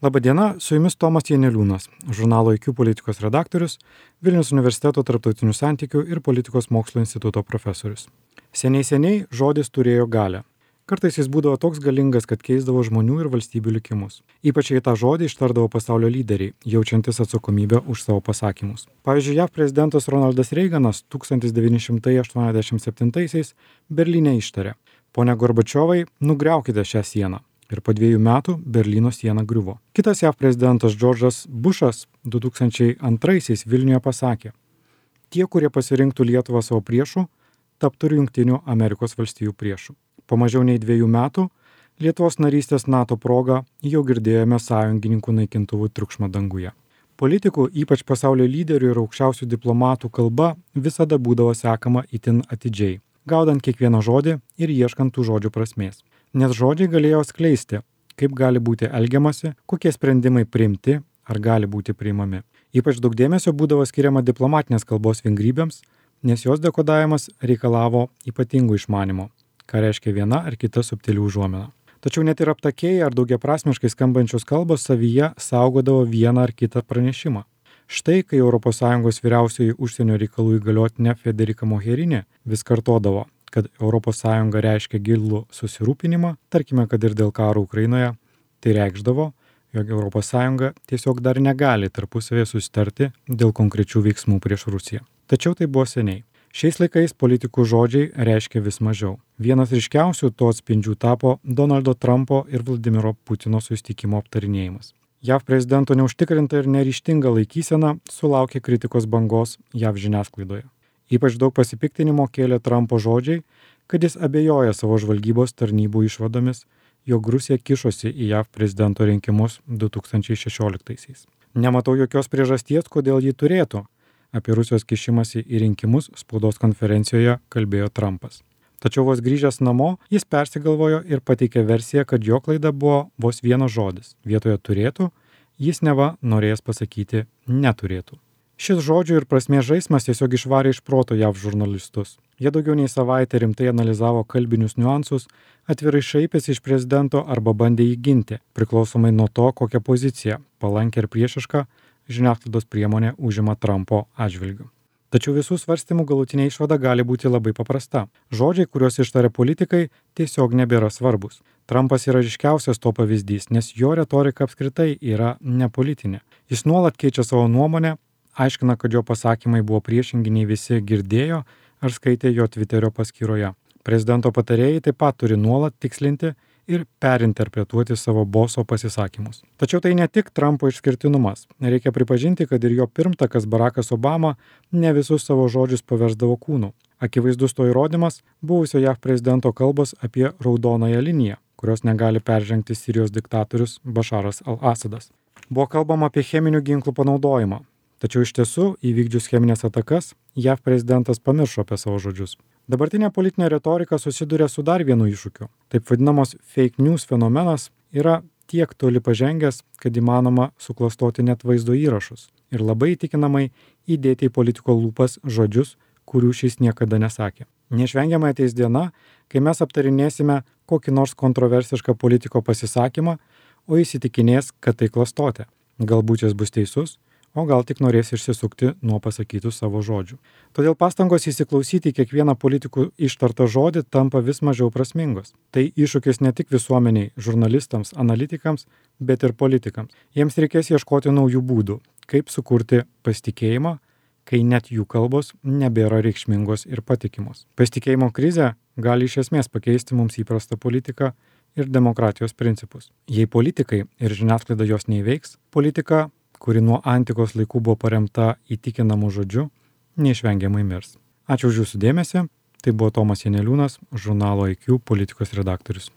Labadiena, su jumis Tomas Janeliūnas, žurnalo IQ politikos redaktorius, Vilniaus universiteto tarptautinių santykių ir politikos mokslo instituto profesorius. Seniai žodis turėjo galią. Kartais jis būdavo toks galingas, kad keisdavo žmonių ir valstybių likimus. Ypač jei tą žodį ištardavo pasaulio lyderiai, jaučiantis atsakomybę už savo pasakymus. Pavyzdžiui, JAV prezidentas Ronaldas Reiganas 1987-aisiais Berlyne ištarė: "Pone Gorbačiovai, nugriaukite šią sieną." Ir po 2 metų Berlyno siena griuvo. Kitas JAV prezidentas Džordžas Bušas 2002-aisiais Vilniuje pasakė: "Tie, kurie pasirinktų Lietuvą savo priešu, taptų Jungtinių Amerikos valstijų priešu." Po mažiau nei 2 metų Lietuvos narystės NATO proga jau girdėjome sąjungininkų naikintuvų triukšmą danguje. Politikų, ypač pasaulio lyderių ir aukščiausių diplomatų kalba visada būdavo sekama itin atidžiai, gaudant kiekvieną žodį ir ieškant tų žodžių prasmės. Nes žodžiai galėjo skleisti, kaip gali būti elgiamasi, kokie sprendimai priimti ar gali būti priimami. Ypač daug dėmesio būdavo skiriama diplomatinės kalbos vingrybėms, nes jos dekodavimas reikalavo ypatingų išmanimo, ką reiškia viena ar kita subtili užuomina. Tačiau net ir aptakiai ar daugiaprasmiškai skambančios kalbos savyje saugodavo vieną ar kitą pranešimą. Štai, kai ES vyriausioji užsienio reikalų įgaliotinė Federica Mogherini vis kartodavo, kad ES reiškia gilų susirūpinimą, tarkime, kad ir dėl karo Ukrainoje, tai reikšdavo, jog ES tiesiog dar negali tarpusavėje susitarti dėl konkrečių veiksmų prieš Rusiją. Tačiau tai buvo seniai. Šiais laikais politikų žodžiai reiškia vis mažiau. Vienas ryškiausių to atspindžių tapo Donaldo Trumpo ir Vladimiro Putino susitikimo aptarinėjimas. JAV prezidento neužtikrinta ir neryžtinga laikysena sulaukė kritikos bangos JAV žiniasklaidoje. Ypač daug pasipiktinimo kėlė Trumpo žodžiai, kad jis abejoja savo žvalgybos tarnybų išvadomis, jog Rusija kišosi į JAV prezidento rinkimus 2016-aisiais. Nematau jokios priežasties, kodėl ji turėtų. Apie Rusijos kišimąsi į rinkimus spaudos konferencijoje kalbėjo Trumpas. Tačiau vos grįžęs namo, jis persigalvojo ir pateikė versiją, kad jo klaida buvo vos vienas žodis. Vietoje turėtų, jis neva norėjęs pasakyti neturėtų. Šis žodžių ir prasmės žaismas tiesiog išvarė iš proto JAV žurnalistus. Jie daugiau nei savaitę rimtai analizavo kalbinius niuansus, atvirai šaipėsi iš prezidento arba bandė jį ginti, priklausomai nuo to, kokią poziciją, palankę ir priešišką, žiniasklaidos priemonė užima Trumpo atžvilgiu. Tačiau visų svarstymų galutinė išvada gali būti labai paprasta. Žodžiai, kuriuos ištaria politikai, tiesiog nebėra svarbus. Trumpas yra ryškiausias to pavyzdys, nes jo retorika apskritai yra nepolitinė. Jis nuolat keičia savo nuomonę, aiškina, kad jo pasakymai buvo priešingi nei visi girdėjo ar skaitė jo Twitterio paskyroje. Prezidento patarėjai taip pat turi nuolat tikslinti ir perinterpretuoti savo boso pasisakymus. Tačiau tai ne tik Trumpo išskirtinumas. Reikia pripažinti, kad ir jo pirmtakas Barackas Obama ne visus savo žodžius paversdavo kūnu. Akivaizdus to įrodymas buvusio JAV prezidento kalbos apie raudonąją liniją, kurios negali peržengti Sirijos diktatorius Bašaras al-Asadas. Buvo kalbama apie cheminių ginklų panaudojimą. Tačiau iš tiesų, įvykdžius cheminės atakas, JAV prezidentas pamiršo apie savo žodžius. Dabartinė politinė retorika susiduria su dar vienu iššūkiu. Taip vadinamos fake news fenomenas yra tiek toli pažengęs, kad įmanoma suklastoti net vaizdo įrašus ir labai įtikinamai įdėti į politiko lūpas žodžius, kurių šis niekada nesakė. Neišvengiamai ateis diena, kai mes aptarinėsime kokį nors kontroversišką politiko pasisakymą, o įsitikinės, kad tai klastotė. Galbūt jis bus teisus, o gal tik norės išsisukti nuo pasakytų savo žodžių. Todėl pastangos įsiklausyti į kiekvieną politikų ištartą žodį tampa vis mažiau prasmingos. Tai iššūkis ne tik visuomeniai, žurnalistams, analitikams, bet ir politikams. Jiems reikės ieškoti naujų būdų, kaip sukurti pasitikėjimą, kai net jų kalbos nebėra reikšmingos ir patikimos. Pasitikėjimo krizė gali iš esmės pakeisti mums įprastą politiką ir demokratijos principus. Jei politikai ir žiniasklaida jos neįveiks, politika, kuri nuo antikos laikų buvo paremta įtikinamu žodžiu, neišvengiamai mirs. Ačiū už jūsų dėmesį. Tai buvo Tomas Janeliūnas, žurnalo IQ politikos redaktorius.